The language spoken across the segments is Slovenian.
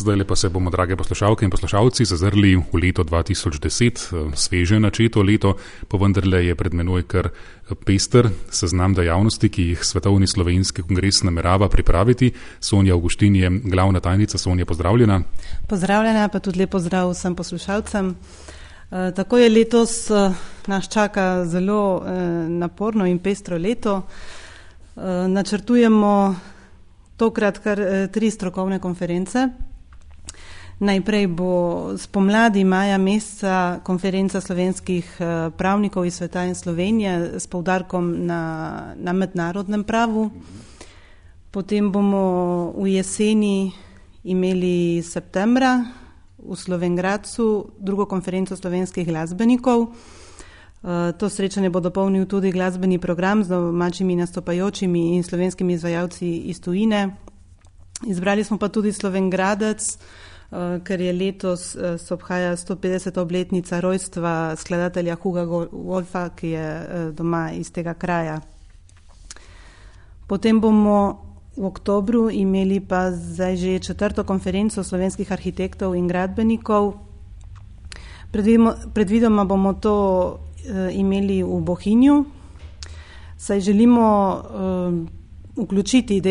Zdaj pa se bomo, drage poslušalke in poslušalci, zazrli v leto 2010, sveže načeto leto, pa vendarle je pred menoj kar pester seznam dejavnosti, ki jih Svetovni slovenski kongres namerava pripraviti. Sonja Avguštin je glavna tajnica. Sonja, pozdravljena. Pozdravljena, pa tudi lep pozdrav vsem poslušalcem. Tako je letos nas čaka zelo naporno in pestro leto. Načrtujemo tokrat kar 3 strokovne konference. Najprej bo spomladi maja meseca konferenca slovenskih pravnikov iz sveta in Slovenije s poudarkom na mednarodnem pravu. Potem bomo v jeseni imeli septembra v Slovenj Gradcu drugo konferenco slovenskih glasbenikov. To srečanje bo dopolnil tudi glasbeni program z domačimi nastopajočimi in slovenskimi izvajalci iz tujine. Izbrali smo pa tudi Slovenj Gradec, ker je letos se obhaja 150. obletnica rojstva skladatelja Huga Wolfa, ki je doma iz tega kraja. Potem bomo v oktobru imeli pa zdaj že 4. konferenco slovenskih arhitektov in gradbenikov. Predvidoma bomo to imeli v Bohinju, saj želimo vključiti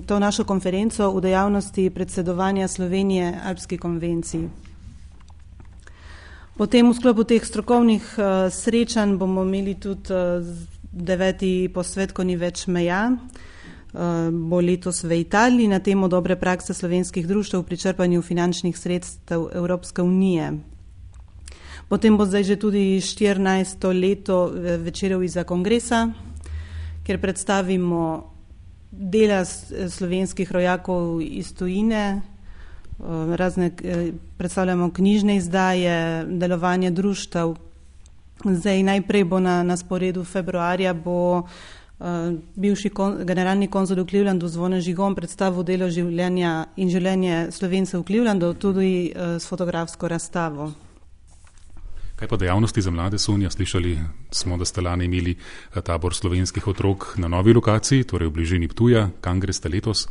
to našo konferenco v dejavnosti predsedovanja Slovenije Alpski konvenciji. Potem v sklopu teh strokovnih srečanj bomo imeli tudi 9. posvet, ko ni več meja. Bo letos v Italiji na temo dobre prakse slovenskih društev pri črpanju finančnih sredstev Evropske unije. Potem bo zdaj že tudi 14. leto večerov izza kongresa, kjer predstavimo dela slovenskih rojakov iz tujine, predstavljamo knjižne izdaje, delovanje društev. Zdaj najprej bo na sporedu februarja bo bivši generalni konzul v Clevelandu Zvone Žigon predstavil delo življenja in življenje Slovencev v Clevelandu, tudi s fotografsko razstavo. Kaj pa dejavnosti za mlade, Sonja? Slišali smo, da ste lani imeli tabor slovenskih otrok na novi lokaciji, torej v bližini Ptuja. Kam greste letos?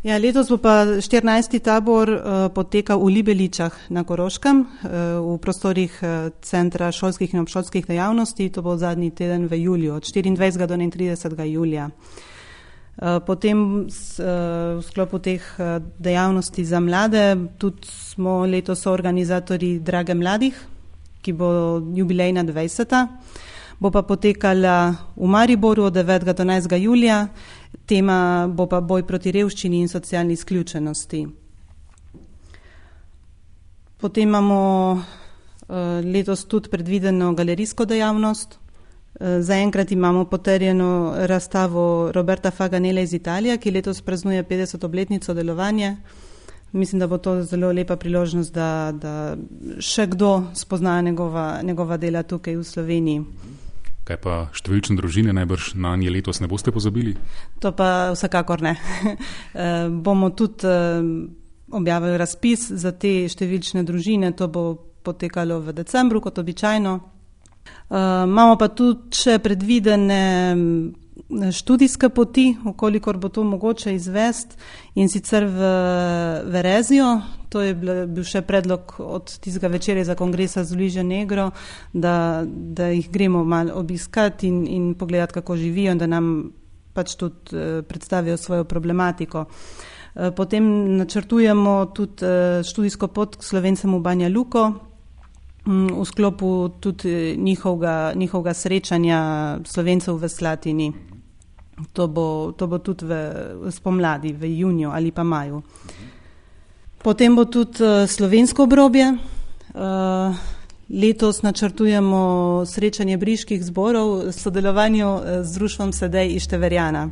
Ja, letos bo pa 14. tabor potekal v Libeličah na Koroškem, v prostorih Centra šolskih in obšolskih dejavnosti. To bo zadnji teden v juliju, od 24. do 31. julija. Potem v sklopu teh dejavnosti za mlade tudi smo letos organizatorji Drage mladih, ki bo jubilejna 20. Bo pa potekala v Mariboru od 9. do 11. julija. Tema bo pa boj proti revščini in socialni izključenosti. Potem imamo letos tudi predvideno galerijsko dejavnost. Zaenkrat imamo potrjeno razstavo Roberta Faganele iz Italije, ki letos praznuje 50. obletnico delovanja. Mislim, da bo to zelo lepa priložnost, da še kdo spozna njegova dela tukaj v Sloveniji. Kaj pa številčne družine, najbrž na nje letos ne boste pozabili? To pa vsekakor ne. Bomo tudi objavili razpis za te številčne družine, to bo potekalo v decembru, kot običajno. Imamo pa tudi še predvidene študijske poti, ukolikor bo to mogoče izvesti, in sicer v Verezijo. To je bil še predlog od tistega večerja za kongresa z Luižo Negro, da jih gremo malo obiskati in pogledati, kako živijo, in da nam pač tudi predstavijo svojo problematiko. Potem načrtujemo tudi študijsko pot k Slovencem v Banja Luko, v sklopu tudi njihovega srečanja Slovencev v Slatini. To bo tudi spomladi, v juniju ali pa maju. Potem bo tudi slovensko obrobje. Letos načrtujemo srečanje briških zborov v sodelovanju z društvom Sedej iz Števerjana.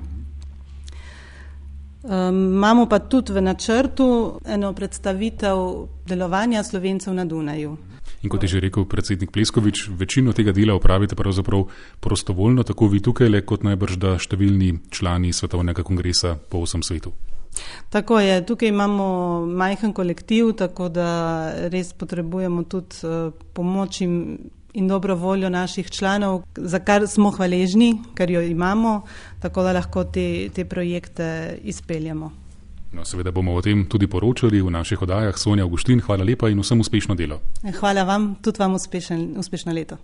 Imamo pa tudi v načrtu eno predstavitev delovanja Slovencev na Dunaju. In kot je že rekel predsednik Pleskovič, večino tega dela opravite pravzaprav prostovoljno, tako vi tukaj, kot najbrž da številni člani Svetovnega kongresa po vsem svetu. Tako je, tukaj imamo majhen kolektiv, tako da res potrebujemo tudi pomoč in dobro voljo naših članov, za kar smo hvaležni, ker jo imamo, tako da lahko te projekte izpeljamo. No, seveda bomo o tem tudi poročali v naših oddajah. Sonja Avguštin, hvala lepa in vsem uspešno delo. Hvala vam, tudi vam uspešno leto.